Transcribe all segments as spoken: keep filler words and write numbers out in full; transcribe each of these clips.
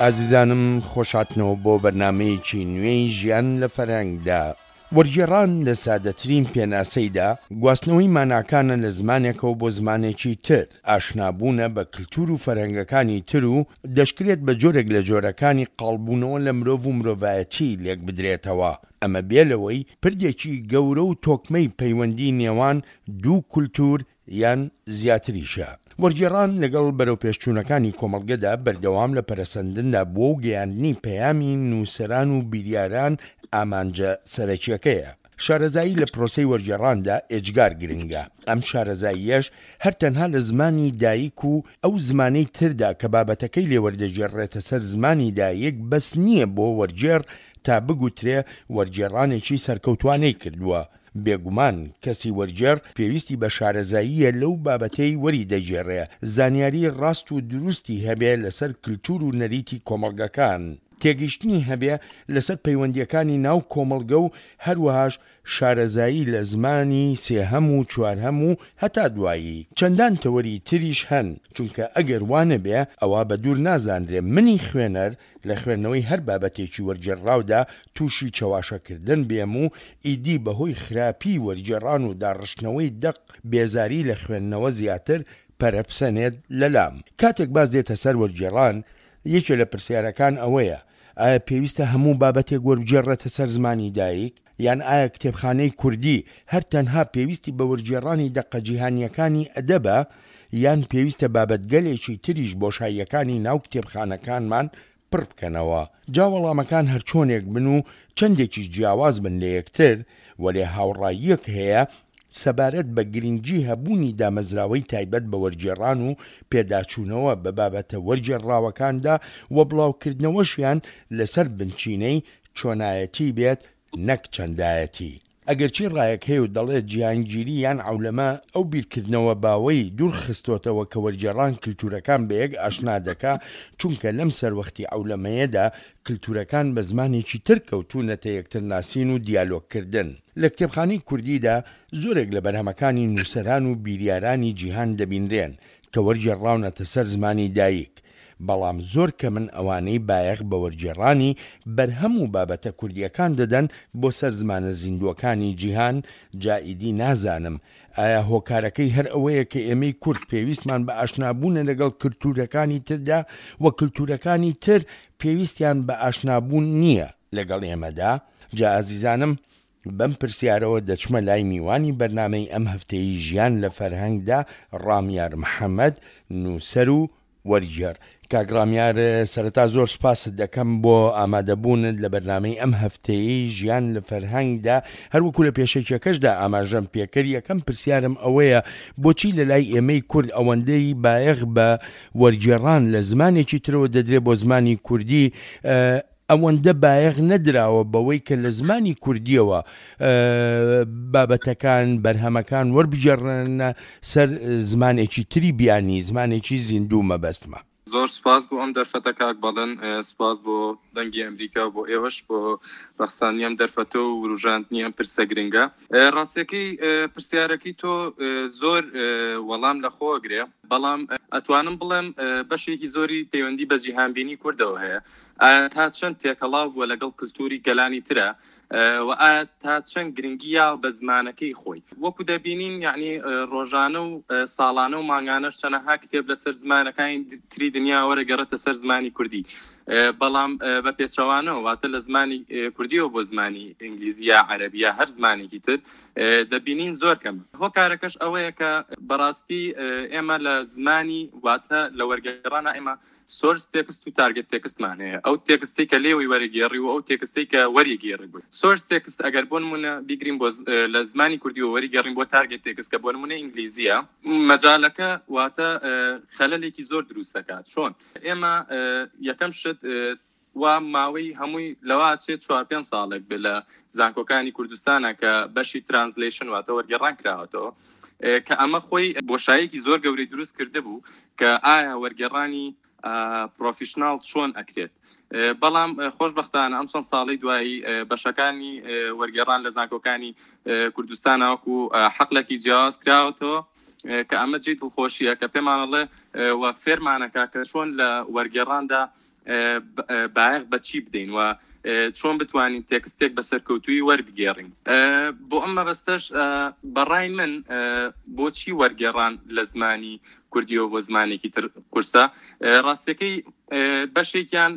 ئازیزانم خۆشهاتنەوە بۆ بەرنامەیەکی نوێی ژیان لە فەرهەنگدا. وەرگێڕان لە سادەترین پێناسەیدا گواستنەوەی ماناکانە لە زمانێکەوە بۆ زمانێکی تر، ئاشنابوونە بە کلتور و فەرهەنگەکانی تر و دەشکرێت بە جۆرێک لە جۆرەکانی قاڵبوونەوە لە مرۆڤ و مرۆڤایەتی لێکبدرێتەوە، ئەمە بێ لەوەی پردێکی گەورە و تۆکمەی پەیوەندی نێوان دوو کولتور یان زیاتریشە. وەرگێڕان لەگەڵ بەرەوپێشچوونەکانی کۆمەڵگەدا بەردەوام لە پەرەسەندندا بووە و گەیاندنی پەیامی نووسەران و بیریاران ئامانجە سەرەکییەکەیە. شارەزایی لە پرۆسەی وەرگێڕاندا ئێجگار گرنگە، ئەم شارەزاییەش هەر تەنها لە زمانی دایک و ئەو زمانەی تردا کە بابەتەکەی لێ وەردەگێڕرێتە سەر زمانی دایک بەس نییە بۆ وەرگێڕ تا بگوترێ وەرگێڕانێکی سەرکەوتوانەی کردووە. بێگومان کەسی وەرگێڕ پێویستی بە شارەزاییە لەو بابەتەی وەری دەگێڕێ، زانیاری ڕاست و دروستی هەبێ لەسەر کلتور و نەریتی کۆمەڵگەکان، تێگەیشتنی هەبێ لەسەر پەیوەندییەکانی ناو کۆمەڵگە و هەروەهاش شارەزایی لە زمانی سێهەم و چوارهەم و هەتا دوایی چەندان تەوەری تریش هەن، چونکە ئەگەر وا نەبێ ئەوا بە دوور نازانرێ منی خوێنەر لە خوێندنەوەی هەر بابەتێکی وەرگێڕراودا تووشی چەواشەکردن بێم و ئیدی بەهۆی خراپیی وەرگێڕان و داڕشتنەوەی دەق بێزاری لە خوێندنەوە زیاتر پەرە بسەنێت لەلام. کاتێک باس دێتە سەر وەرگێڕان، یەکێ لە پرسیارەکان ئەوەیە، ئایا پێویستە هەموو بابەتێک وەربگێڕرێتە سەر زمانی دایک؟ یان ئایا کتێبخانەی کوردی هەر تەنها پێویستی بە وەرگێڕانی دەقە جیهانییەکانی ئەدەبە، یان پێویستە بابەتگەلێکی تریش بۆشاییەکانی ناو کتێبخانەکانمان پڕ بکەنەوە؟ جا وەڵامەکان هەرچۆنێک بن و چەندێکیش جیاواز بن لە یەکتر، وەلێ هاوڕاییەک هەیە سەبارەت بە گرنگی هەبوونی دامەزراوەی تایبەت بە وەرگێڕان و پێداچوونەوە بە بابەتە وەرگێڕراوەکاندا و بڵاوکردنەوەشیان لەسەر بنچینەی چۆنایەتی بێت نەک چەندایەتی. ئەگەرچی ڕایەک هەیە و دەڵێت جیهانگیری یان عەولەمە ئەو بیرکردنەوە باوەی دوور خستۆتەوە کە وەرگێڕان کلتورەکان بەیەک ئاشنا دەکا، چونکە لەم سەروەختی عەولەمەیەدا کلتورەکان بە زمانێکی تر کەوتوونەتە یەکترناسین و دیالۆگکردن. لە کتێبخانەی کوردیدا زۆرێک لە بەرهەمەکانی نووسەران و بیریارانی جیهان دەبینرێن کە وەرگێڕراونەتە سەر زمانی دایک، بەڵام زۆر کەمن ئەوانەی بایەخ بە وەرگێڕانی بەرهەم و بابەتە کوردییەکان دەدەن بۆ سەر زمانە زیندووەکانی جیهان، جا ئیدی نازانم ئایا هۆکارەکەی هەر ئەوەیە کە ئێمەی کورد پێویستمان بە ئاشنابوونە لەگەڵ کلتوورەکانی تردا و کلتوورەکانی تر پێویستیان بە ئاشنابوون نییە لەگەڵ ئێمەدا؟ جا ئازیزانم بەم پرسیارەوە دەچمە لای میوانی بەرنامەی ئەم هەفتەیی ژیان لە فەرهەنگدا ڕامیار محەمەد، نووسەر و وەرگێڕ. کاک ڕامیار سەرەتا زۆر سوپاست دەکەم بۆ ئامادەبوونت لە بەرنامەی ئەم هەفتەیەی ژیان لە فەرهەنگدا، هەروەکو لە پێشەکیەکەشدا ئاماژەم پێکرد، یەکەم پرسیارم ئەوەیە بۆچی لە لای ئێمەی کورد ئەوەندەی بایەخ بە وەرگێڕان لە زمانێکی ترەوە دەدرێت بۆ زمانی کوردی ئەوەندە بایەخ نەدراوە بەوەی کە لە زمانی کوردیەوە بابەتەکان بەرهەمەکان وەربگێڕنە سەر زمانێکی تری بیانی، زمانێکی زیندوو مەبەستمە. زۆر سوپاس بۆ ئەم دەرفەتە کاک بەڵێن، سوپاس بۆ دەنگی ئەمریکا و بۆ ئێوەش بۆ ڕەخساندنی ئەم دەرفەتە و وروژاندنی ئەم پرسە گرنگە. ڕاستیەکەی پرسیارەکەی تۆ زۆر وەڵام لە خۆ ئەگرێ، بەڵام ئەتوانم بڵێم بەشێکی زۆری پەیوەندی بە جیهانبینی کوردەوە هەیە. ئایا تا چەند تێکەڵاو بووە لەگەڵ کلتوری گەلانی ترە و ئایا تا چەند گرنگی یاوە بە زمانەکەی خۆی؟ وەکو دەبینین یعنی ڕۆژانە و ساڵانە و مانگانەش چەنەها کتێب لەسەر زمانەکانی تری دنیا وەرەگەڕێتە سەر زمانی کوردی، بەڵام بە پێچەوانەوە واتە لە زمانی کوردیەوە بۆ زمانی ئینگلیزی یا عەرەبی یا هەر زمانێکی تر دەبینین زۆر کەم. هۆکارەکەش ئەوەیە کە بەڕاستی ئێمە لە زمانی واتە لە وەرگێڕانە ئێمە source text و target text مان هەیە، ئەو تێکستی کە لێوەی وەرەگێڕی و ئەو تێکستی کە وەریگێڕی بووی. source text ئەگەر بۆ نمونە بیگرین بۆ لە زمانی کوردیەوە وەریگێڕین بۆ target text کە بۆ نمونە ئینگلیزیە، مەجالەکە واتە خەلەلێکی زۆر دروست دەکات. چۆن ئێمە یەکەم شت وا ماوەی هەمووی لەوا چێت چوار پێنج ساڵێک بێ لە زانکۆکانی کوردستانە کە بەشی translation واتە وەرگێڕان کراوەتەوە، کە ئەمە خۆی بۆشایەکی زۆر گەورەی دروست کرده بوو کە ئایا وەرگێڕانی professional چۆن ئەکرێت. بەڵام خۆشبەختانە ئەم چەند ساڵەی دوایی بەشەکانی وەرگێڕان لە زانکۆکانی کوردستانە وەکو حەقلێکی جیاواز کراوەتەوە کە ئەمە جێی دڵخۆشیە کە پێمانەڵێ و فێرمانەکە کە چۆن لە وەرگێڕاندا بایەخ بە چی بدەین و چۆن بتوانین تێکستێک بە سەرکەوتووی وەربگێڕین. بۆ ئەم مەبەستەش بەڕای من بۆچی وەرگێڕان لە زمانی کوردیەوە بۆ زمانێکی تر قورسە، ڕاستیەکەی بەشێکیان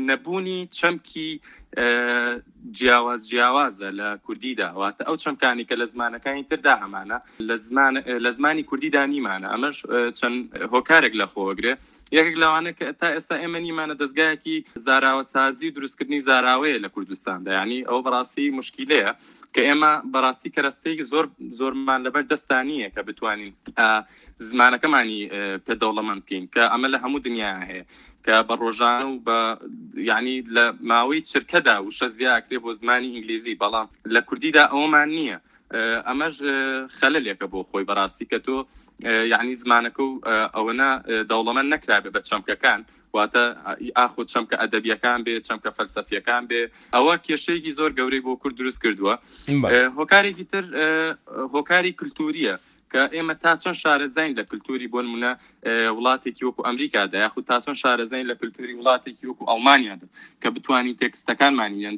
نەبوونی چەمکی جیاواز جیاوازە لە کوردیدا، واتە ئەو چەمکانی کە لە زمانەکانی تردا هەمانە لە زمانی کوردیدا نیمانە. ئەمەش چەند هۆکارێک لە خۆوەگرێ. یەکێک لەوانە کە تا ئێستا ئێمە نیمانە دەستگایەکی زاراوەسازی و دروستکردنی زاراوەیە لە کوردستاندا، یعنی ئەوە بەڕاستی مشکلەیە کە ئێمە بەڕاستی کەرەستەیەکی زۆر زۆرمان لەبەر دەستا نییە کە بتوانین زمانەکەمانی پێ دەوڵەمەند بکەین، کە ئەمە لە هەموو دنیا هەیە کە بە ڕۆژانە و بە یعنی لە ماوەی چرکەدا وشە زیاکرێ بۆ زمانی ئینگلیزی، بەڵام لە کوردیدا ئەوەمان نییە. ئەمەش خەلەلێکە بۆ خۆی بەڕاستی کە تۆ یعنی زمانەکە و ئەوەنە دەوڵەمەند نەکرابێ بە چەمکەکان، واتە ئاخۆ چەمکە ئەدەبیەکان بێ، چەمکە فەلسەفیەکان بێ، ئەوە کێشەیەکی زۆر گەورەی بۆ کورد دروست کردووە. هۆکارێکی تر هۆکاری کللتوریە کە ئێمە تا چەند شارەزاین لە کللتوری بۆ نمونە وڵاتێکی وەکو ئەمریکادا، یاخود تا چەند شارەزاین لە کللتوری وڵاتێکی وەکو ئەڵمانیادا کە بتوانین تێکستەکانمانیان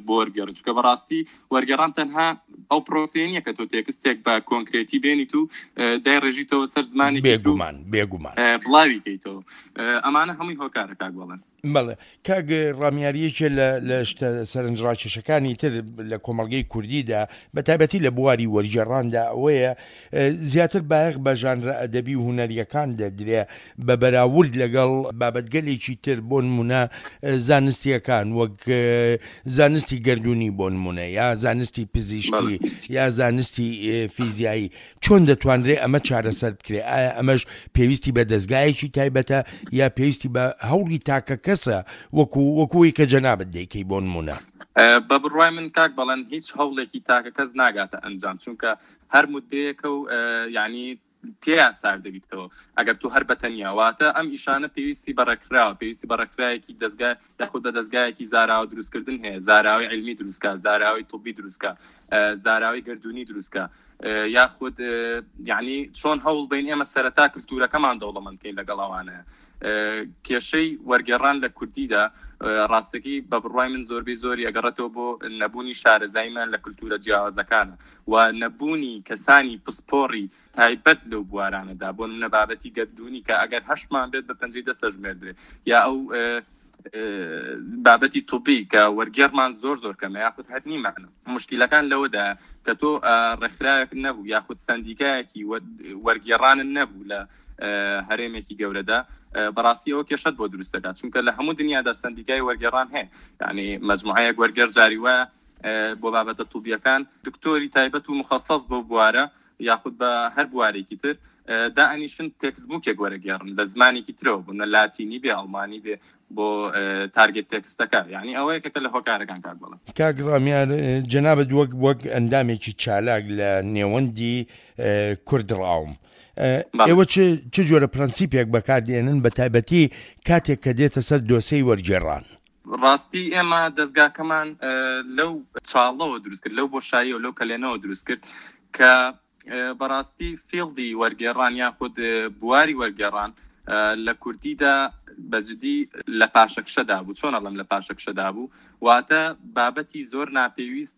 بۆ وەرگێڕن. چونکە بەڕاستی وەرگێڕان تەنها ئەو پرۆسەیە نییە کە تۆ تێکستێک بە کۆنکرێتی بێنیت و دایڕێژیتەوە سەر زمانێکی بێگومان بێگومان بڵاوی کەیتەوە. ئەمانە هەمووی هۆکارە کاک بەڵێن. بەڵێ کاک ڕامیاریەکێ لە شتە سەرنجڕاکێشەکانی تر لە کۆمەڵگەی کوردیدا بە تایبەتی لە بواری وەرگێڕاندا ئەوەیە زیاتر بایەخ بە ژانرە ئەدەبی و هونەریەکان دەدرێ بە بەراورد لەگەڵ بابەتگەلێکی تر، بۆ نمونە زانستیەکان وەک زانستی گەردوونی بۆ نمونە یا زانستی پزیشکی یا زانستی فیزیایی. چۆن دەتوانرێ ئەمە چارەسەر بکرێ؟ ئایا ئەمەش پێویستی بە دەستگایەکی تایبەتە یا پێویستی بە هەوڵی تاکە کەسە وەکو وەکوی کە جەنابت دەیکەی بۆ نمونە؟ بە بڕوای من کاک بەڵێن هیچ هەوڵێکی تاکە کەس ناگاتە ئەنجام، چونکە هەر مدەیەکە و یعنی تێیا سار دەبیتەوە ئەگەر تۆ هەر بەتەنیا. واتە ئەم ئیشانە پێویستی بە ڕێکخراوە، پێویستی بە ڕێکخراوێکی دەستگای یاخود بە دەستگایەکی زاراوە دروستکردن هەیە، زاراوی علمی دروستکە، زاراوی طبی دروستکە، زاراوی گردونی دروستکە، یاخود یعنی چۆن هەوڵ بین ئێمە سەرەتا کللتورەکەمان دەوڵەمەند بکەین لەگەڵ ئەوانەیە. کێشەی وەرگێڕان لە کوردیدا ڕاستەکەی بە بڕوای من زۆربەی زۆری ئەگەڕێتەوە بۆ نەبوونی شارەزاییمان لە کللتورە جیاوازەکانە و نەبوونی کەسانی پسپۆڕی تایبەت لەو بوارانەدا، بۆ نمونە بابەتی گەردوونی کە ئەگەر هەشتمان بێت بە پەنجەی دەست ئەژمێردرێ، یا ئەو بابەتی طبی کە وەرگێڕمان زۆر زۆر کەمە یاخود هەر نیمانە. مشکلەکان لەوەدا کە تۆ ڕێکخراوێک نەبوو یاخود سندیکایەکی وەرگێڕانن نەبوو لە هەرێمێکی گەورەدا، بەڕاستی ئەوە کێشەت بۆ دروست دەکات، چونکە لە هەموو دنیادا سندیکای وەرگێڕان هەیە. یعنی مەجموعەیەک وەرگێڕ جاری وایە بۆ بابەتە طوبیەکان دکتۆری تایبەت و مخەصص بۆ بوارە یاخود بە هەر بوارێکی تر دائەنیشن تێکستبووکێک وەرەگێڕن لە زمانێکی ترەوە، بوونە لاتینی بێ ئەڵمانی بێ بۆ target تێکستەکە. یعنی ئەوە یەکێکە لە هۆکارەکان کاک بەڵێن. کاک ڕامیار، جەنابت وەک وەک ئەندامێکی چالاک لە نێوەندی کورد ڕاوم، ئێوە چ جۆرە پرەنسیپێک بەکاردێنن بە تایبەتی کاتێک کە دێتە سەر دۆسەی وەرگێڕان؟ ڕاستی ئێمە دەستگاکەمان لەو چاڵەوە دروست کرد، لەو بۆشاییەوە لەو کەلێنەوە دروست کرد کە بەڕاستی field ی وەرگێڕان یاخود بواری وەرگێڕان لە کوردیدا بەجدی لە پاشەکشەدا بوو. چۆن ئەڵێم لە پاشەکشەدا بوو؟ واتە بابەتی زۆر ناپێویست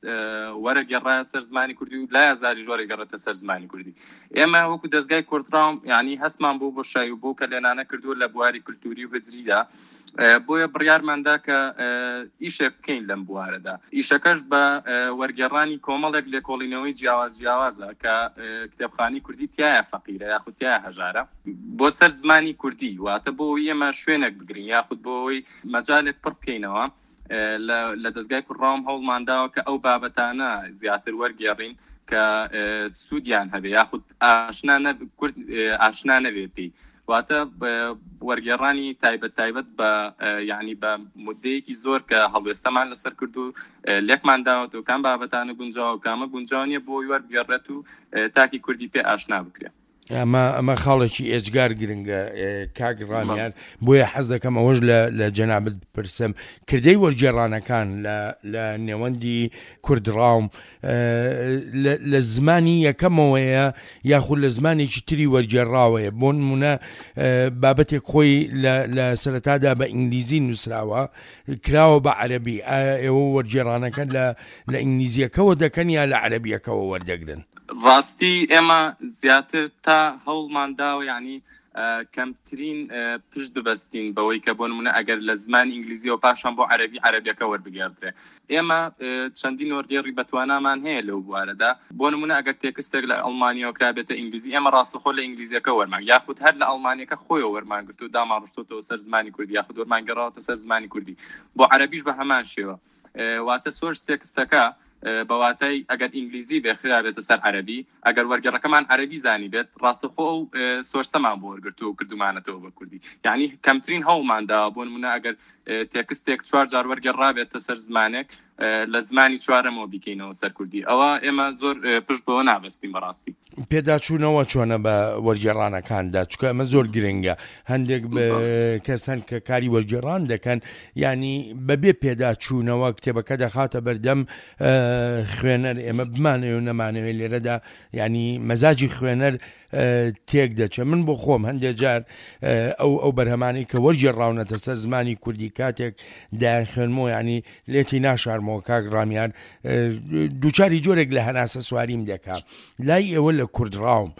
وەرەگێڕایە سەر زمانی کوردی و لای ئازاریش وەرەگێڕێتە سەر زمانی کوردی. ئێمە وەکو دەستگای کوردڕاوم یعنی هەستمان بۆ بۆشایی و بۆ کە لێنانە کردووە لە بواری کللتوری و هزریدا، بۆیە بڕیارماندا کە ئیشێک بکەین لەم بوارەدا. ئیشەکەش بە وەرگێڕانی کۆمەڵێک لێکۆڵینەوەی جیاواز جیاوازە کە کتێبخانی کوردی تایە فەقیرە یاخود تایە هەژارە بۆ سەر زمانی کوردی، واتە بۆ ئەوەی ئێمە شوێنێک بگرین یاخود بۆ ئەوەی مەجالێک پڕ بکەینەوە. لە دەستگای کوردڕاوم هەوڵمانداوە کە ئەو بابەتانە زیاتر وەرگێڕین کە سوودیان هەبێ یاخود ئاشنا کورد ئاشنا نەبێ پێی، واتە وەرگێڕانی تایبەت تایبەت بە یعنی بە مدەیەکی زۆر کە هەڵوێستەمان لەسەر کرد و لێکمان داوەتەوە کام بابەتانە گونجاوە و کامە گونجاو نییە بۆ وەرگێڕێت و تاکی کوردی پێ ئاشنا بکرێت. ئەمە ئەمە خاڵێکی ئێجگار گرنگە کاک ڕامیار، بۆیە حەز دەکەم ئەوەش لە لە جەنابت بپرسم، کردەی وەرگێڕانەکان لە لە نێوەندی کوردڕاوم لە زمانی یەکەمەوەیە یاخود لە زمانێکی تری وەرگێڕاوەیە؟ بۆ نمونە بابەتێک خۆی لە سەرەتادا بە ئینگلیزی نووسراوە کراوە بە عەرەبی، ئایا ئێوە وەرگێڕانەکە لە لە ئینگلیزیەکەوە دەکەن یا لە عەرەبیەکەوە وەردەگرن؟ ڕاستی ئێمە زیاتر تا هەوڵمان داوە یعنی کەمترین پشت ببەستین بەوەی کە بۆ نمونە ئەگەر لە زمانی ئینگلیزیەوە پاشان بۆ عەرەبی عەرەبیەکە وەربگێڕدرێ. ئێمە چەندین وەرگێڕی بەتوانامان هەیە لەو بوارەدا. بۆ نمونە ئەگەر تێکستێک لە ئەڵمانیەوە کرابێتە ئینگلیزی، ئێمە ڕاستەخۆ لە ئینگلیزیەکە وەرمان، یاخود هەر لە ئەڵمانیەکە خۆیەوە وەرمانگرتو دامان ڕشتۆتەوە سەر زمانی کوردی، یاخود وەرمانگەڕاوەتە سەر زمانی کوردی. بۆ عەرەبیش بە هەمان شێوە، واتە source text ەکە بە واتای ئەگەر ئینگلیزی بێ خرابێتە سەر عەرەبی، ئەگەر وەرگێڕەکەمان عەرەبی زانی بێت ڕاستەخۆ ئەو source ەمان بۆ وەرگرتووە و کردومانەتەوە بە کوردی. یعنی کەمترین هەوڵماندا بۆ نمونە ئەگەر تێکستێک چوار جار وەرگێڕابێتە سەر زمانێک لە زمانی چوارەمەوە بیکەینەوە سەر کوردی، ئەوە ئێمە زۆر پشت بەوە نابەستین بەڕاستی. پێداچوونەوە چۆنە بە وەرگێڕانەکاندا؟ چونکە ئەمە زۆر گرنگە. هەندێک کەس هەن کە کاری وەرگێڕان دەکەن، ینی بەبێ پێداچوونەوە کتێبەکە دەخاتە بەردەم خوێنەر. ئێمە بمانەوێ و نەمانەوێ لێرەدا ینی مەزاجی خوێنەر تێک دەچێت. من بۆ خۆم هەندێک جار ئەو ئەو بەرهەمانەی کە وەرگێڕاونەتە سەر زمانی کوردی کاتێک دایان خوێنمەوە، ینی لێتی ناشارمەوە کاک ڕامیار، دووچاری جۆرێک لە هەناسە سواریم دەکا. لای ئێوە لە کوردڕاوم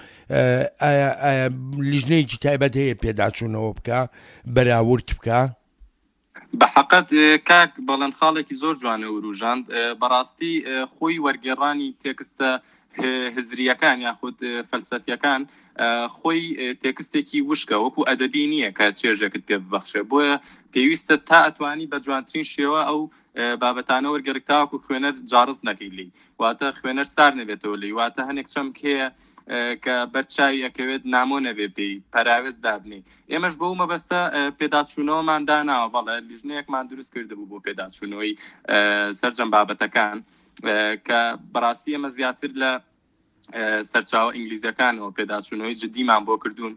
ئایا ئایا لیژنەیەکی تایبەت هەیە پێداچوونەوە بکە، بەراورد بکە؟ بە حەقەت کاک بەڵێن خاڵێکی زۆر جوانە وروژاند. بەڕاستی خۆی وەرگێڕانی تێکستە هزریەکان یاخود فەلسەفیەکان خۆی تێکستێکی وشکە، وەکو ئەدەبی نییە کە چێژێکت پێ ببەخشێ. بۆیە پێویستە تا ئەتوانی بە جوانترین شێوە ئەو بابەتانە وەرگێڕی تاوەکو خوێنەر جاڕز نەکەی لێی، واتە خوێنەر سار نەبێتەوە لێی، واتە هەنێک چەمک هەیە کە بەرچاوی ئەکەوێت نامۆ نەبێ پێی پەراوێز دابنێ. ئێمەش بەو مەبەستە پێداچوونەوەمان داناوە، بەڵێ لیژنەیەکمان دروست کردبوو بۆ پێداچوونەوەی سەرجەم بابەتەکان کە بەڕاستی ئێمە زیاتر لە سەرچاوە ئینگلیزیەکانەوە پێداچوونەوەی جدیمان بۆ کردوون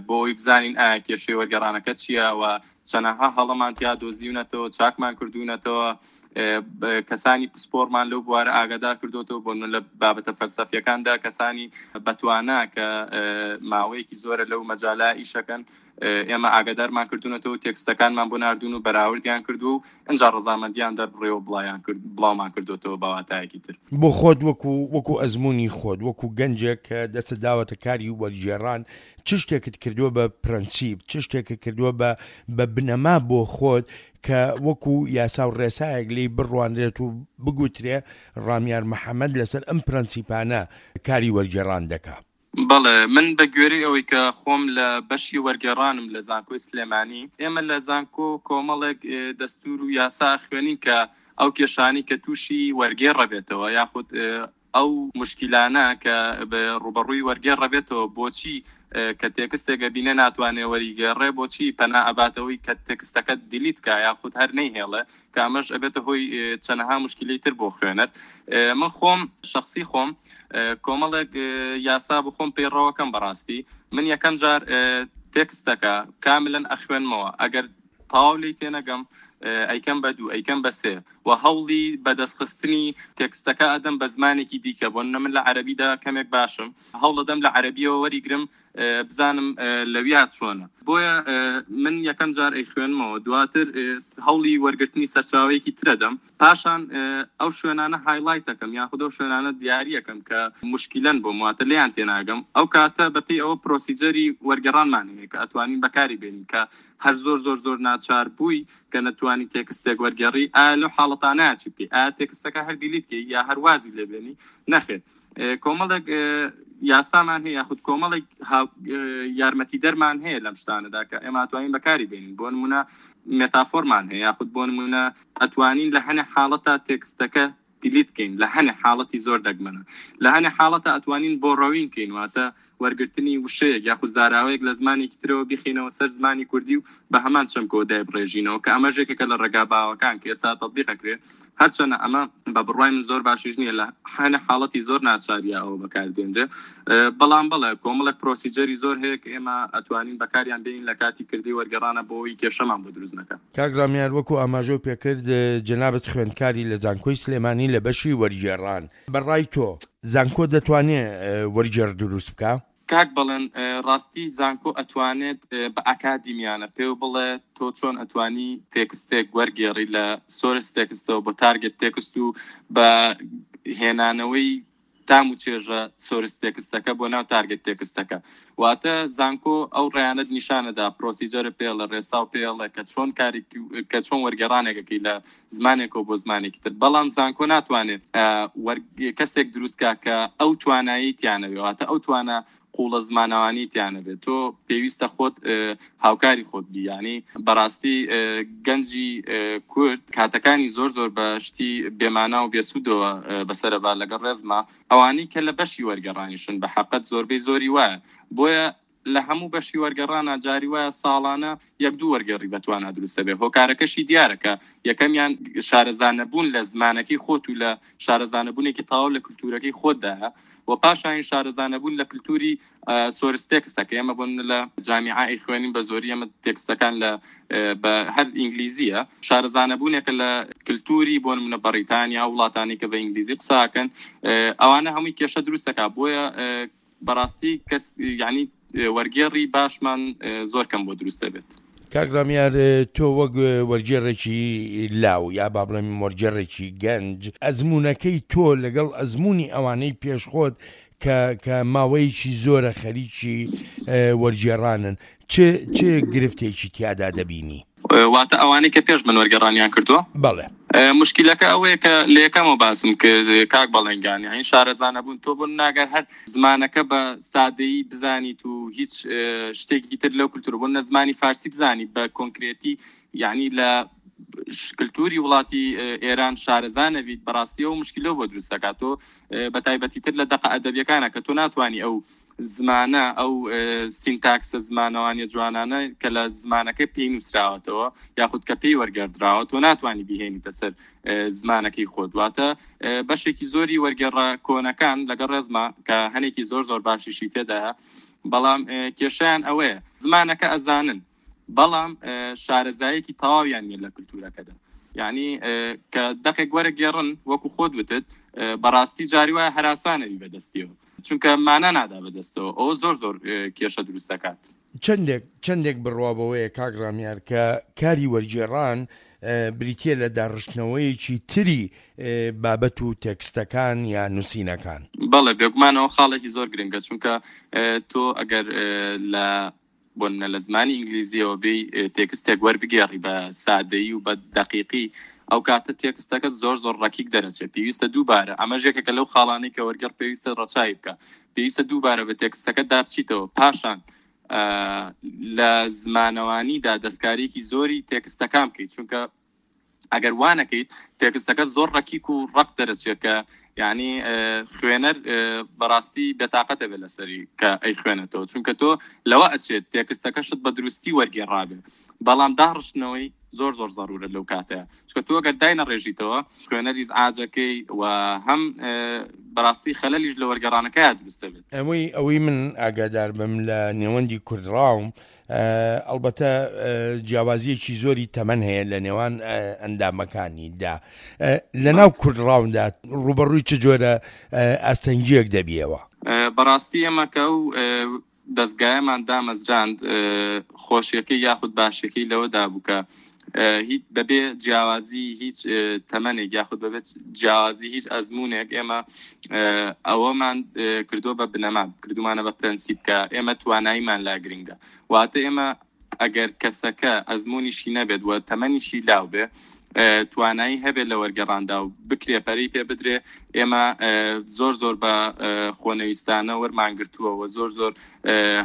بۆ ئەوەی بزانین ئایا کێشەی وەرگێڕانەکە چییە و چەنەها هەڵەمان تیا دۆزیونەتەوە، چاکمان کردوونەتەوە، کەسانی پسپۆرمان لەو بوارە ئاگادار کردوتەوە. بۆ لە بابەتە فەلسەفیەکاندا کەسانی بەتوانا کە ماوەیەکی زۆرە لەو مەجالە ئیشەکەن ئێمە ئاگادارمان کردوونەتەوە، تێکستەکانمان بۆ ناردوون و بەراوردیان کردو و ئینجا ڕەزامەندیان دەربڕێەوە بڵاومان کردوتەوە بە واتایەکی تر. بۆ خۆت وەکو وەکو ئەزمموی خۆت وەکو گەنجێک کە دەستت داوەتە کاری وەرگێڕان، چ شتێکت کردووە بە پرەنسیپ، چ شتێکت کردووە بە بە بنەما بۆ خۆت کە وەکو یاسا و ڕێسایەک لێی بڕوانرێت و بگوترێ ڕامیار محەممەد لەسەر ئەم پرەنسیپانە کاری وەرگێڕان دەکا؟ بەڵێ، من بە گوێرەی ئەوەی کە خۆم لە بەشی وەرگێڕانم لە زانکۆی سلێمانی، ئێمە لە زانکۆ کۆمەڵێک دەستور و یاسا خوێنین کە ئەو کێشانی کە تووشی وەرگێڕە بێتەوە یاخود ئەو مشکلانە کە ڕوبەڕووی وەرگێڕە بێتەوە، بۆچی کە تێکستێکە بینە ناتوانێ وەریگێڕێ، بۆچی پەنا ئەباتەوەی کە تێکستەکە delete کا یاخود هەر نەیهێڵێ، کە ئەمەش ئەبێتە هۆی چەنەها مشکلی تر بۆ خوێنەر. من خۆم شخصی خۆم کۆمەڵێک یاسا بۆ خۆم پەیڕەوەکەم. بەڕاستی من یەکەم جار تێکستەکە کاملەن ئەخوێنمەوە، ئەگەر تەواو لێی تێنەگەم ئەیکەم بە دوو، ئەیکەم بە سێ، و هەوڵی بەدەستخستنی تێکستەکە ئەدەم بە زمانێکی دیکە. بۆ نمونە من لە عەرەبیدا کەمێک باشم، هەوڵەدەم لە عەرەبیەوە وەریگرم بزانم لەویا چۆنە. بۆیە من یەکەم جار ئەیخوێنمەوە، دواتر هەوڵی وەرگرتنی سەرچاوەیەکی ترەدەم، پاشان ئەو شوێنانە highlight ەکەم یاخود ئەو شوێنانە دیاریەکەم کە مشکلەن بۆم، واتە لێیان تێناگەم. ئەو کاتە بەپێی ئەوە procedure ی وەرگێڕانمان هەیە کە ئەتوانین بەکاری بێنین کە هەر زۆر زۆر زۆر ناچار بووی کە نەتوانی تێکستێک وەرگێڕی، ئایا لەو حاڵەتانە چی بکەی؟ ئایا تێکستەکە هەر delete کەی یا هەر وازی لێبێنی؟ نەخێر، کۆمەڵێک یاسامان هەیە یاخود کۆمەڵێک یارمەتی دەرمان هەیە لەم شتانەدا کە ئێمە ئەتوانین بەکاری بێنین. بۆ نمونە مێتافۆرمان هەیە، یاخود بۆ نمونە ئەتوانین لە هەنێ حاڵەتە تێکستەکە delete کەین، لە هەنێ حاڵەتی زۆر دەگمەنە، لە هەنێ حاڵەتە ئەتوانین borrowing کەین، واتە وەرگرتنی وشەیەک یاخود زاراوەیەک لە زمانێکی ترەوە بیخینەوە سەر زمانی کوردی و بە هەمان چەمکەوە دایبڕێژینەوە کە ئەمەش یەکێکە لە ڕێگا باوەکان کە ئێستا تەطبیق ئەکرێ. هەرچەنە ئەمە بە بڕوای من زۆر باشیش نییە، لە هەنە حاڵەتی زۆر ناچاریە ئەوە بەکاردێنرێ، بەڵام بەڵێ کۆمەڵێک procedure ی زۆر هەیە کە ئێمە ئەتوانین بەکاریان بێنین لە کاتی کردی وەرگێڕانە بۆ ئەوەی کێشەمان بۆ دروست نەکا. کاک ڕامیار وەکو ئاماژەو پێکرد جەنابت خوێندکاری لە زانکۆی سلێمانی لە بەشی وەرگێڕان، بە ڕای تۆ زانکۆ دەتوانێ وەرگێڕ دروست بکا؟ کاک بەڵێن ڕاستی زانکۆ ئەتوانێت بە ئەکادیمیانە پێو بڵێ تۆ چۆن ئەتوانی تێکستێک وەرگێڕی لە source text ەوە بۆ target text و بە هێنانەوەی تام و چێژە source text ەکە بۆ ناو target text ەکە. واتە زانکۆ ئەو ڕێیانەت نیشانەدا، procedure پێڵە، ڕێسا و پێڵە کە چۆن کاری کە چۆن وەرگێڕانێکەکەی لە زمانێکەوە بۆ زمانێکی تر. بەڵام زانکۆ ناتوانێت کەسێک دروستکا کە ئەو توانایی تیانەوێ، واتە ئەو توانا قوڵە زمانەوانی تیانەبێت. تۆ پێویستە خۆت هاوکاری خۆت بی. یعنی بەڕاستی گەنجی کورد کاتەکانی زۆر زۆر بە شتی بێمانا و بێسوودەوە بەسەرە با لەگەڵ ڕێزما ئەوانەی کە لە بەشی وەرگێڕانیشن بە حەقەت زۆربەی زۆری وایە. بۆیە لە هەموو بەشی وەرگێڕانە جاری وایە ساڵانە یەک دوو وەرگێڕی بەتوانا دروستە بێ. هۆکارەکەشی دیارە کە یەکەمیان شارەزانەبوون لە زمانەکەی خۆت و لە شارەزانەبوونێکی تەواو لە کلتورەکەی خۆتدایە و پاشانی شارەزانەبوون لە کلتوری source text ەکە. ئێمە بۆ لە جامیعە خوێنین بە زۆری ئێمە تێکستەکان لە بە هەر ئینگلیزیە، شارەزانەبوونێکە لە کلتوری بۆ نمونە بەریتانیا وڵاتانی کە بە ئینگلیزی قساکەن، ئەوانە هەمووی کێشە دروستەکە. بۆیە بەڕاستی کەس یعنی وەرگێڕی باشمان زۆر کەم بۆ دروستە بێت. کاک ڕامیار تۆ وەک وەرگێڕێکی لاو یا با بڵێم وەرگێڕێکی گەنج، ئەزموونەکەی تۆ لەگەڵ ئەزمموی ئەوانەی پێشخۆت کە کە ماوەیەکی زۆرە خەریکی وەرگێڕانن، چ چ گرفتێکی تیادا دەبینی؟ واتە ئەوانەی کە پێش من وەرگێڕانیان کردووە؟ بەڵێ. مشکلەکە ئەوەیە کە لە یەکەمەوە باسم کرد کاک بەڵێنگان، یعنی شارەزانە بوون. تۆ بۆ ناگەر هەر زمانەکە بە سادەیی بزانیت و هیچ شتێکی تر لەو کلتور بۆ نە زمانی فارسی بزانی بە کۆنکرێتی، یعنی لە کلتوری وڵاتی ئێران شارەزانە بیت، بەڕاستی ئەو مشکلەوە بۆ دروست دەکات. تۆ بە تایبەتی تر لە دەقە ئەدەبیەکانە کە تۆ ناتوانی ئەو زمانە ئەو سینتاکسە زمانەوانیە جوانانە کە لە زمانەکەی پێی نووسراوەتەوە یاخود کە پێی وەرگێڕدراوە تۆ ناتوانی بهێنیتە سەر زمانەکەی خۆت. واتە بەشێکی زۆری وەرگێڕە کۆنەکان لەگەڵ ڕێزما کە هەنێکی زۆر زۆر باشیشی تێدایە، بەڵام کێشیان ئەوەیە زمانەکە ئەزانن بەڵام شارەزایەکی تەواویان نییە لە کلتورەکەدا. یعنی کە دەقێک وەرەگێڕن وەکو خۆت وتت بەڕاستی جاری وایە هەراسانەوی بەدەستیەوە، چونکە مانا نادا بەدەستەوە، ئەوە زۆر زۆر کێشە دروست دەکات. چەندێک چەندێک بڕوا بەوەیە کاک ڕامیار کە کاری وەرگێڕان بریتیە لە داڕشتنەوەیەکی تری بابەت و تێکستەکان یا نووسینەکان؟ بەڵێ بێگومانەوە خاڵێکی زۆر گرنگە، چونکە تۆ ئەگەر لە بۆ نمونە لە زمانی ئینگلیزیەوە بێی تێکستێک وەربگێڕی بە سادەیی و بە دەقیقی، ئەو کاتە تێکستەکە زۆر زۆر ڕەکیک دەرەچێت. پێویستە دووبارە، ئەمەش یەکێکە لەو خاڵانەی کە وەرگێڕ پێویستە ڕەچاوی بکە، پێویستە دووبارە بە تێکستەکە دابچیتەوە، پاشان لە زمانەوانیدا دەستکاریەکی زۆری تێکستەکان بکەیت، چونکە ئەگەر وانەکەیت تێکستەکە زۆر ڕەکیک و ڕەق دەرەچێت کە یعنی خوێنەر بەڕاستی بێتاقەتە بێت لەسەری کە ئەی خوێنێتەوە، چونکە تۆ لەوە ئەچێت تێکستەکەشت بە دروستی وەرگێڕابێ، بەڵام داڕشتنەوەی زۆر زۆر ضرورە لەو کاتەیە، چونکە تۆ ئەگەر داینەڕێژیتەوە خوێنەر ئیزعاجەکەی و هەم بەڕاستی خەلەلیش لە وەرگێڕانەکەیا دروستە بێت. ئەوەی ئەوەی من ئاگادار بم لە نێوەندی کوردڕاوم، ئەلبەتە جیاوازیەکی زۆری تەمەن هەیە لە نێوان ئەندامەکانیدا. لە ناو کوردڕاوندا ڕوبەڕووی چ جۆرە ئاستەنگیەک دەبیەوە؟ بەڕاستی ئێمە کە ئەو دەستگایەمان دامەزراند خۆشیەکەی یاخود باشەکەی لەوەدا بوو کە هیچ بەبێ جیاوازی هیچ تەمەنێک یاخود بەبێ جیاوازی هیچ ئەزمونێک ئێمە ئەوەمان کردووە بە بنەما، کردومانە بە پرەنسیپ کە ئێمە تواناییمان لا گرنگە. واتە ئێمە ئەگەر کەسەکە ئەزمونیشی نەبێت و تەمەنیشی لاو بێ، توانایی هەبێت لە وەرگێڕاندا و بکرێ پەرەی پێ بدرێ، ئێمە زۆر زۆر بە خۆنەویستانە وەرمانگرتووە و زۆر زۆر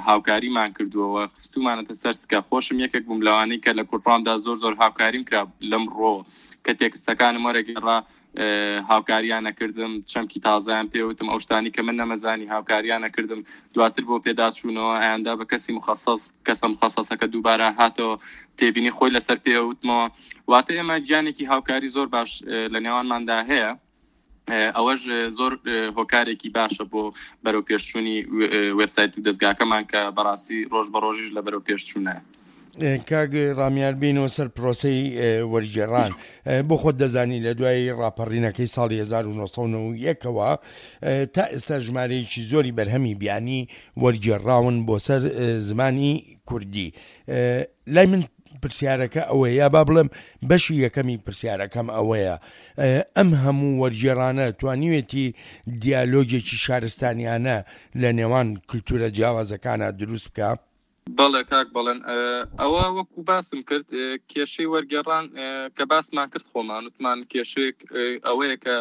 هاوکاریمان کردووە و خستومانەتە سەر سکە. خۆشم یەکێک بووم لەوانەی کە لە کوردڕامدا زۆر زۆر هاوکاریم کرا لەم ڕۆ کە تێکستەکانم وەرەگێڕا، هاوکاریانە کردم، چەمکی تازەیان پێوتم، ئەو شتانی کە من نەمەزانی هاوکاریانە کردم، دواتر بۆ پێداچوونەوە ئەیاندا بە کەسی مخەسەس، کەسە مخەسەسەکە دووبارە هاتەوە تێبینی خۆی لەسەر پێوتمەوە. واتە ئێمە گیانێکی هاوکاری زۆر باش لە نێوانماندا هەیە، ئەوەش زۆر هۆکارێکی باشە بۆ بەرەو پێشچوونی وێبسایت و دەستگاکەمان کە بەڕاستی ڕۆژ بە ڕۆژیش لە بەرەو پێشچوونە. کاک ڕامیار، بینەوە سەر پرۆسەی وەرگێڕان. بۆ خۆت دەزانی لە دوای ڕاپەڕینەکەی ساڵی هەزار و نۆ سەد و نەوەد و یەک ەوە تا ئێستا ژمارەیەکی زۆری بەرهەمی بیانی وەرگێڕاون بۆ سەر زمانی کوردی. لای من پرسیارەکە ئەوەیە، یا با بڵێم بەشی یەکەمی پرسیارەکەم ئەوەیە، ئەم هەموو وەرگێڕانە توانیوێتی دیالۆگێکی شارستانیانە لە نێوان کلتورە جیاوازەکانە دروست بکە؟ بەڵێ کاک بەڵێن، ئەوە وەکو باسم کرد کێشەی وەرگێڕان کە باسمان کرد خۆمان وتمان کێشەیەک ئەوەیە کە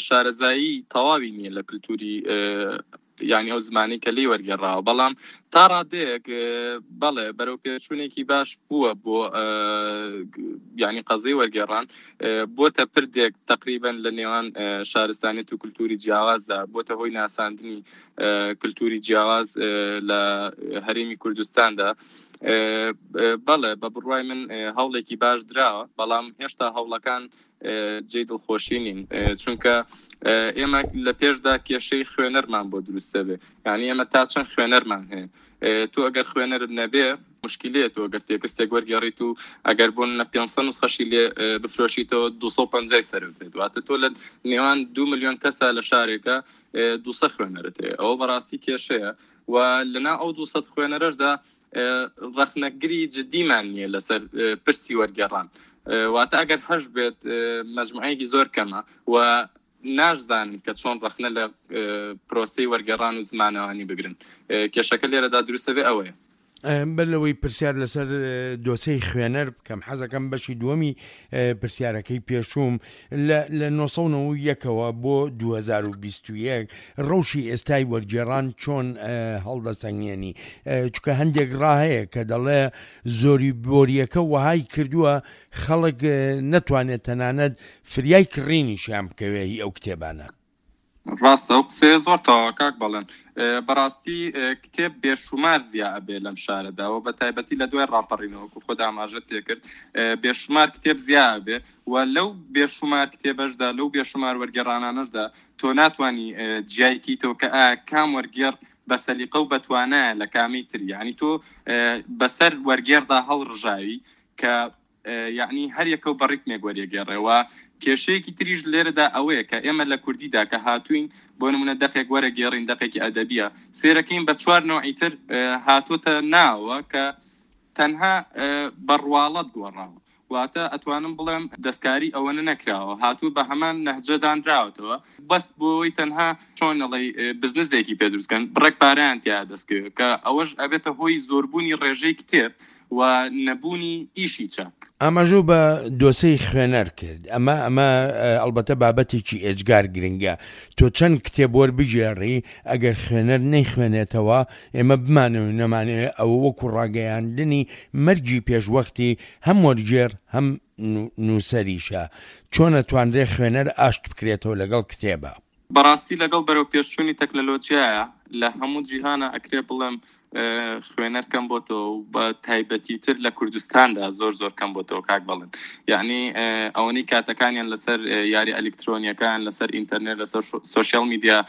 شارەزایی تەواوی نییە لە کلتوری یعنی ئەو زمانی کە لێی وەرگێڕاوە، بەڵام تا ڕادەیەک بەڵێ بەرەو پێچوونێکی باش بووە بۆ یعنی قەزیی وەرگێڕان، بۆتە پردێک تقریبا لە نێوان شارستانیەت و کلتوری جیاوازدا، بۆتە هۆی ناساندنی کلتوری جیاواز لە هەرێمی کوردستاندا. بەڵێ بە بڕوای من هەوڵێکی باش دراوە، بەڵام هێشتا هەوڵەکان جێی دڵخۆشی نین، چونکە ئێمە لە پێشدا کێشەی خوێنەرمان بۆ دروستە بێ، یعنی ئێمە تا چەند خوێنەرمان هەیە. تۆ ئەگەر خوێنەرت نەبێ مشکلەیە، تۆ ئەگەر تێکستێک وەرگێڕیت و ئەگەر بۆ نە پێنج سەد نوسخەشی لێ بفرۆشیتەوە دوو سەد و پەنجای سەرت بێت، واتە تۆ لە نێوان دوو ملیۆن کەسە لە شارێکە دوو سەد خوێنەرت هەیە، ئەوە بەڕاستی کێشەیە. و لەنا ئەو دوو سەد خوێنەرەشدا ڕەخنەگری جدیمان نییە لەسەر پرسی وەرگێڕان، واتە ئەگەر هەش بێت مەجموعەیەکی زۆر کەمە و ناشزانن کە چۆن ڕەخنە لە پرۆسەی وەرگێڕان و زمانەوانی بگرن. کێشەکە لێرەدا دروستە بێ ئەوەیە. بەر لەوەی پرسیار لەسەر دۆسەی خوێنەر بکەم، حەزەکەم بەشی دووەمی پرسیارەکەی پێشووم لە نۆ سەد و نەوەد و یەکەوە بۆ دوو هەزار و بیست و یەک ڕەوشی ئێستای وەرگێڕان چۆن هەڵدەسەنگێنی؟ چونکە هەندێک ڕا هەیە کە دەڵێ زۆری بۆریەکە وەهای کردووە خەڵک نەتوانێت تەنانەت فریای کڕینیشیان بکەوێ هی ئەو کتێبانە. ڕاستە، ئەو قسەیە زۆر تەواوە کاک بەڵێن. بەڕاستی کتێب بێشومار زیا ئەبێ لەم شارەدا و بە تایبەتی لە دوای ڕاپەڕینەوە وەکو خۆت ئاماژەت پێکرد بێشومار کتێب زیا ئەبێ و لەو بێشومار کتێبەشدا، لەو بێشومار وەرگێڕانانەشدا تۆ ناتوانی جیای کیتەوە کە ئایا کام وەرگێڕ بە سەلیقە و بەتوانایە لە کامی تر، یعنی تۆ بەسەر وەرگێڕدا هەڵڕژاوی کە یعنی هەر یەکە و بە ڕیتمێک وەرێگێڕێەوە. کێشەیەکی تریش لێرەدا ئەوەیە کە ئێمە لە کوردیدا کە هاتوین بۆ نمونە دەقێک وەرەگێڕین، دەقێکی ئەدەبیە، سێرەکەین بە چوار نەوعی تر هاتووەتە ناوە کە تەنها بە ڕواڵەت گۆڕاوە، واتە ئەتوانم بڵێم دەستکاری ئەوەنە نەکراوە، هاتوو بە هەمان نەهجە دانراوەتەوە، بەس بۆ ئەوەی تەنها چۆن ئەڵێی بزنسێکی پێ دروستکەن، بڕێک پارەیان تیا دەستکەوێت کە ئەوەش ئەبێتە هۆی زۆربوونی ڕێژەی کتێب و نەبوونی ئیشی چاک. ئاماژە بە دۆسەی خوێنەر کرد، ئەمە ئەمە ئەلبەتە بابەتێکی ئێجگار گرنگە. تۆ چەند کتێب وەربگێڕی ئەگەر خوێنەر نەیخوێنێتەوە، ئێمە بمانەوێ نەمانەوێ ئەوە وەکو ڕاگەیاندنی مەرگی پێشوەختی هەم وەرگێڕ هەم نووسەریشە. چۆن ئەتوانرێ خوێنەر ئاشت بکرێتەوە لەگەڵ کتێبە؟ بەڕاستی لەگەڵ بەرەو پێشچوونی تەکنەلۆژیایە لە هەموو جیهانە ئەکرێ بڵێم خوێنەر کەم بۆتەوە و بە تایبەتی تر لە کوردستاندا زۆر زۆر کەم بۆتەوە کاک بەڵێن. یعنی ئەوەنەی کاتەکانیان لەسەر یاری ئەلکترۆنیەکان، لەسەر ئینتەرنێت، لەسەر سۆشیال میدیا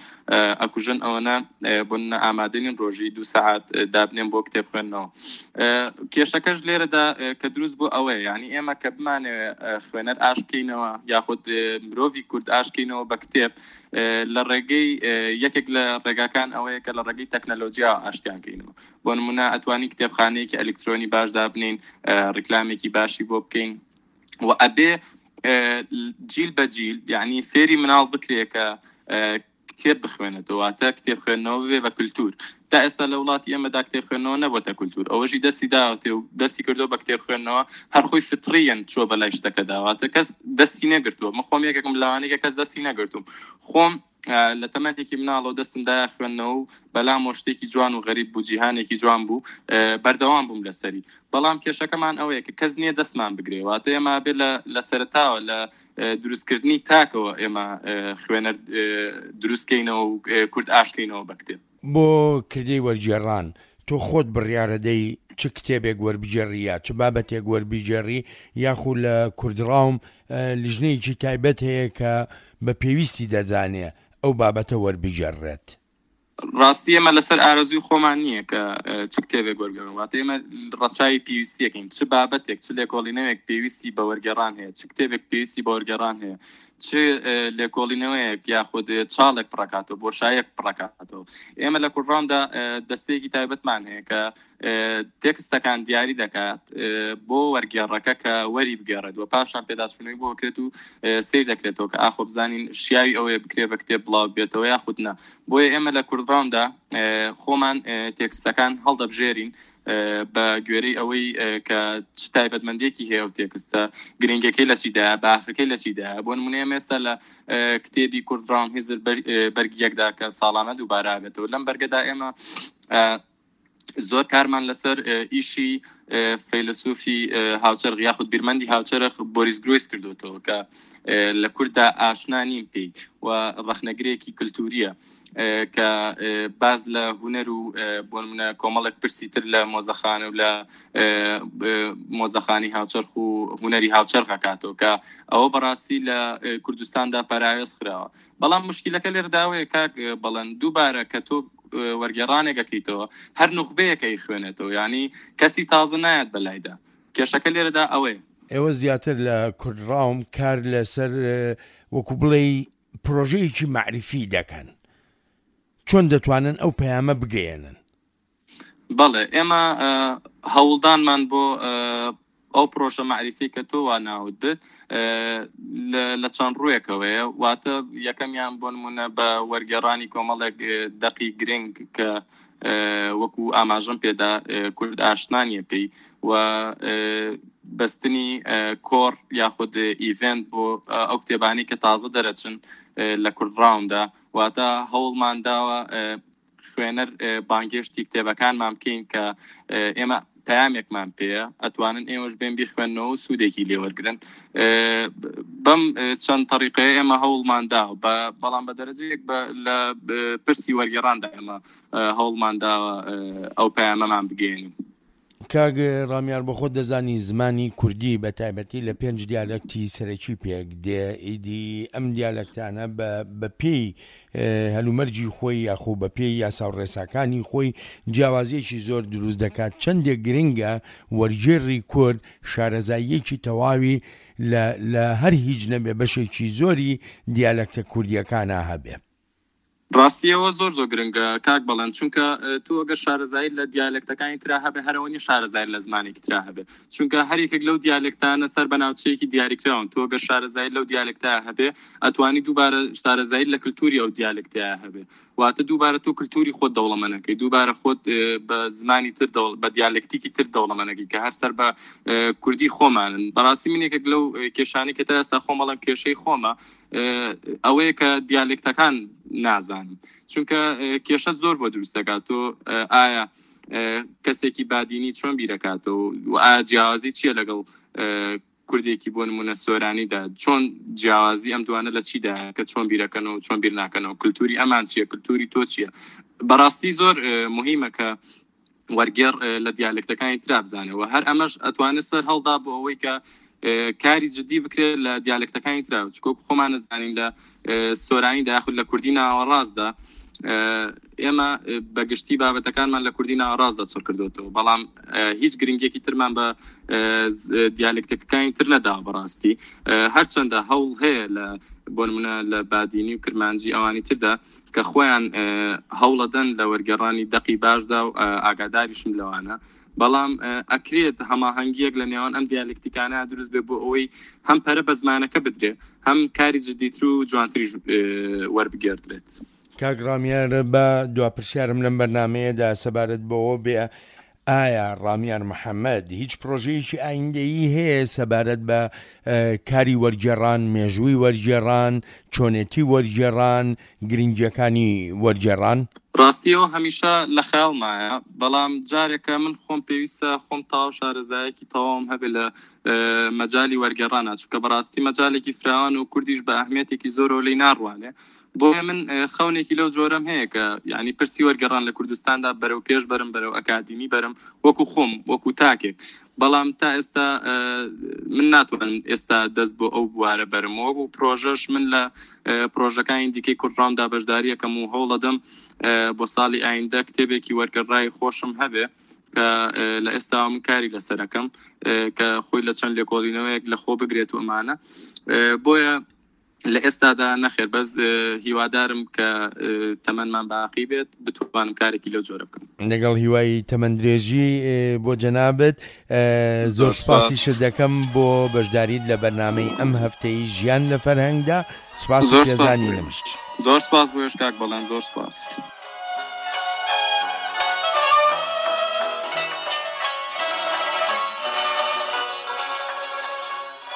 ئەکوژن، ئەوەنە بۆ ئامادەنین ڕۆژی دوو سەعات دابنێن بۆ کتێب خوێندنەوە. کێشەکەش لێرەدا کە دروست بۆ ئەوەیە، یعنی ئێمە کە بمانەوێ خوێنەر ئاش بکەینەوە یاخود مرۆڤی کورد ئاش بکەینەوە بە کتێب، لە ڕێگەی یەکێک لە ڕێگاکان ئەوەیە کە لە ڕێگەی تەکنەلۆژیا ئاشتیان کەینەوە. بۆ نمونە ئەتوانی کتێبخانەیەکی ئەلکترۆنی باش دابنین، ڕیکلامێکی باشی بۆ بکەین و ئەبێ جیل بە جیل یعنی فێری مناڵ بکرێ کە کتێب بخوێنێتەوە، واتە کتێب خوێندنەوە ببێ بە کولتور. تا ئێستا لە وڵاتی ئێمەدا کتێب خوێندنەوە نەبۆتە کولتور، ئەوەشی دەستی داوەتێ و دەستی کردەوە بە کتێب خوێندنەوە، هەر خۆی فطریەن چووە بە لای شتەکەدا، واتە کەس دەستی نەگرتووە. من خۆم یەکێکم لەوانەیە کە کەس دەستی نەگرتووم، خۆم لە تەمەنێکی مناڵەوە دەستم دایە خوێندنەوە و بەلامەوە شتێکی جوان و غەریب بوو، جیهانێکی جوان بوو، بەردەوام بووم لەسەری. بەڵام کێشەکەمان ئەوەیە کە کەس نییە دەستمان بگرێ، واتە ئێمە بێ لە سەرەتاوە لە دروستکردنی تاکەوە ئێمە خوێنەر دروستکەینەوە و کورد ئاشکەینەوە بە کتێب. بۆ کردەی وەرگێڕان تۆ خۆت بڕیارەدەی چ کتێبێک وەربگێڕی یا چ بابەتێک وەربگێڕی، یاخو لە کوردڕاوم لیژنەیەکی تایبەت هەیە کە بە پێویستی دەزانێ ئەو بابەتە وەربگێڕێت؟ ڕاستی ئێمە لەسەر ئارەزووی خۆمان نییە کە چ کتێبێک وەرگێڕن، واتە ئێمە ڕەچاوی پێویستیەکەین، چ بابەتێک چ لێکۆڵینەوەیەک پێویستی بە وەرگێڕان هەیە، چ کتێبێک پێویستی بە وەرگێڕان هەیە، چ لێکۆڵینەوەیەک یاخود چاڵێک پڕکاتەوە، بۆشایەک پڕکاتەوە. ئێمە لە کوردڕاوندا دەستەیەکی تایبەتمان هەیە کە تێکستەکان دیاری دەکات بۆ وەرگێڕەکە کە وەری بگێڕێت و پاشان پێداچوونەوەی بۆ بکرێت و سیر دەکرێتەوە کە ئاخۆ بزانین شیاوی ئەوەیە بکرێ بە کتێب بڵاو بێتەوە یاخود نا. بۆیە ئێمە لە کوردڕاوندا خۆمان تێکستەکان هەڵدەبژێرین بە گوێرەی ئەوەی کە چ تایبەتمەندێکی هەیە و تێکستە گرنگەکەی لە چیدایە، باخەکەی لە چیدایە. بۆ نمونە ئێمە ئێستا لە کتێبی کوردڕاوم هزر بەرگیەکدا کە ساڵانە دووبارە بێتەوە، لەم بەرگەدا ئێمە زۆر کارمان لەسەر ئیشی فەیلەسوفی هاوچەرخ یاخود بیرمەندی هاوچەرخ بۆریس گرۆیس کردوێتەوە کە لە کورددا ئاشنا نیم پێی و ڕەخنەگرێکی کللتوریە کە باز لە هوەر و بۆ نمونە کۆمەڵێک پرسی تر لە مۆزەخانە و لە مۆزەخانی هاوچەرخ و هوەری هاوچەرخەکاتەوە کە ئەوە بەڕاستی لە کوردستاندا پەراوێز خراوە. بەڵام مشکلەکە لێرداوەیە کاک بەڵێن، دووبارە کە تۆ وەرگێڕانێک ئەکەیتەوە هەر نوخبەیەکە ئەیخوێنێتەوە، یعنی کەسی تازە نایەت بەلایدا. کێشەکە لێرەدا ئەوەیە. ئێوە زیاتر لە کوردڕاوم کار لەسەر وەکو بڵێ پرۆژەیەکی مەعریفی دەکەن، چۆن دەتوانن ئەو پەیامە بگەیەنن؟ بەڵێ، ئێمە هەوڵدانمان بۆ ئەو پرۆژە مەعریفی کە تۆ وا ناوت بێت لە چەند ڕوویەکەوەیە. واتە یەکەمیان بۆ نمونە بە وەرگێڕانی کۆمەڵێک دەقی گرنگ کە وەکو ئاماژەم پێدا کورد ئاشنانیە پێی و بەستنی کۆڕ یاخود ئیڤنت بۆ ئەو کتێبانی کە تازە دەرەچن لە کوردڕاوندا. واتە هەوڵمان داوە خوێنەر بانگێشتی کتێبەکانمان بکەین کە ئێمە پەیامێکمان پێیە، ئەتوانن ئێوەش بێن بیخوێننەوە و سوودێکی لێوەرگرن. بەم چەند تەریقەیە ئێمە هەوڵمان دا، بەڵام بە دەرەجەیەک لە پرسی وەرگێڕاندا ئێمە هەوڵمان داوە ئەو پەیامەمان بگەیەنین. کاک ڕامیار، بە خۆت دەزانی زمانی کوردی بە تایبەتی لە پێنج دیالەکتی سەرەکی پێک دێ، ئیدی ئەم دیالەکتانە بە پێی هەلومەرجی خۆی یاخۆ بە پێی یاسا و ڕێساکانی خۆی جیاوازیەکی زۆر دروست دەکات. چەندێک گرنگە وەرگێڕی کورد شارەزاییەکی تەواوی لە هەر هیچ نەبێ بەشێکی زۆری دیالەکتە کوردیەکانە هەبێ. ڕاستیەوە زۆر زۆر گرنگە کاک بەڵێن، چونکە تۆ ئەگەر شارەزایی لە دیالەکتەکانی ترا هەبێ هەرەوە نیە شارەزایی لە زمانێکی ترا هەبێ، چونکە هەر یەکێک لەو دیالەکتانە سەر بە ناوچەیەکی دیاریکراون. تۆ ئەگەر شارەزایی لەو دیالەکتە هەبێ ئەتوانی دووبارە شارەزایی لە کللتوری ئەو دیالەکتەیە هەبێ، واتە دووبارە تۆ کللتوری خۆت دەوڵەمەنەکەی، دووبارە خۆت بە زمانی تر بە دیالەکتیکی تر دەوڵەمەنەکەی کە هەر سەر بە کوردی خۆمانن. بەڕاستی من یەکێک لەو کێشانەی کە تا ئێستا خۆم بەڵام کێشەی خۆمە ئەوەیە کە دیالێکتەکان نازانم، چونکە کێشەت زۆر بۆ دروست دەکات. تۆ ئایا کەسێکی بادینی چۆن بیرەکاتەوە و ئایا جیاوازی چییە لەگەڵ کوردێکی بۆ نمونە سۆرانیدا، چۆن جیاوازی ئەم دوانە لە چیدا کە چۆن بیرەکەنەوە چۆن بیر ناکەنەوە، کللتوری ئەمان چییە، کللتوری تۆ چییە. بەڕاستی زۆر مهمە کە وەرگێڕ لە دیالێکتەکانی ترا بزانەوە. هەر ئەمەش ئەتوانێت سەر هەڵدا بۆ ئەوەی کە کاری جدی بکرێت لە دیالێکتەکانی ترا، چکۆ خۆمان نەزانین لە سۆرانیدا یاخود لە کوردی ناوەڕاستدا ئێمە بەگشتی بابەتەکانمان لە کوردی ناوەڕاستدا چڕ کردوێتەوە، بەڵام هیچ گرنگێکی ترمان بە دیالێکتەکانی تر نەداوە بەڕاستی. هەرچەندە هەوڵ هەیە لە بۆ نمونە لە بادینی و کرمانجی ئەوانی تردا کە خۆیان هەوڵەدەن لە وەرگێڕانی دەقی باشدا و ئاگاداریشم لەوانە، بەڵام ئەکرێت هەماهەنگیەک لە نێوان ئەم دیالکتیکانە دروست بێ بۆ ئەوەی هەم پەرە بە زمانەکە بدرێ هەم کاری جدیتر و جوانتری وەربگێردرێت. کاک ڕامیار، بە دوا پرسیارم لەم بەرنمەیەدا سەبارەت بەوە بێ، ئایا ڕامیار محەمەد هیچ پرۆژەیەکی ئایندەیی هەیە سەبارەت بە کاری وەرگێڕان، مێژووی وەرگێڕان، چۆنێتی وەرگێڕان، گرنگییەکانی وەرگێڕان؟ ڕاستیەوە هەمیشە لە خەیاڵمایە، بەڵام جارێکە من خۆم پێویستە خۆم تەواو شارەزایەکی تەواوم هەبێ لە مەجالی وەرگێڕانە، چونکە بەڕاستی مەجالێکی فراوان و کوردیش بە ئەهمیەتێکی زۆرەوە لێی ناڕوانێ. بۆیە من خەونێکی لەو جۆرەم هەیە کە یعنی پرسی وەرگێڕان لە کوردستاندا بەرەو پێش بەرم، بەرەو ئەکادیمی بەرم، وەکو خۆم وەکو تاکێک. بەڵام تا ئێستا من ناتوانم ئێستا دەست بۆ ئەو بوارە بەرم. وەکو پرۆژەش من لە پرۆژەکانی دیکەی کوردڕامدا بەشداریەکەم و هەوڵەدەم بۆ ساڵی ئایندە کتێبێکی وەرگێڕای خۆشم هەبێ کە لە ئێستا من کاری لەسەرەکەم کە خۆی لە چەند لێکۆڵینەوەیەک لە خۆ بگرێت و ئەمانە. بۆیە لە ئێستادا نەخێر، بەس هیوادارم کە تەمەنمان باقی بێت بتوانم کارێکی لەو جۆرە بکەم. لەگەڵ هیوای تەمەندرێژی بۆ جەنابت زۆر سپاسیشت دەکەم بۆ بەشداریت لە بەرنامەی ئەم هەفتەی ژیان لە فەرهەنگدا. سپاس و پێزانینم. زۆر سپاس بۆ یش کاک بەڵێن، زۆر سپاس.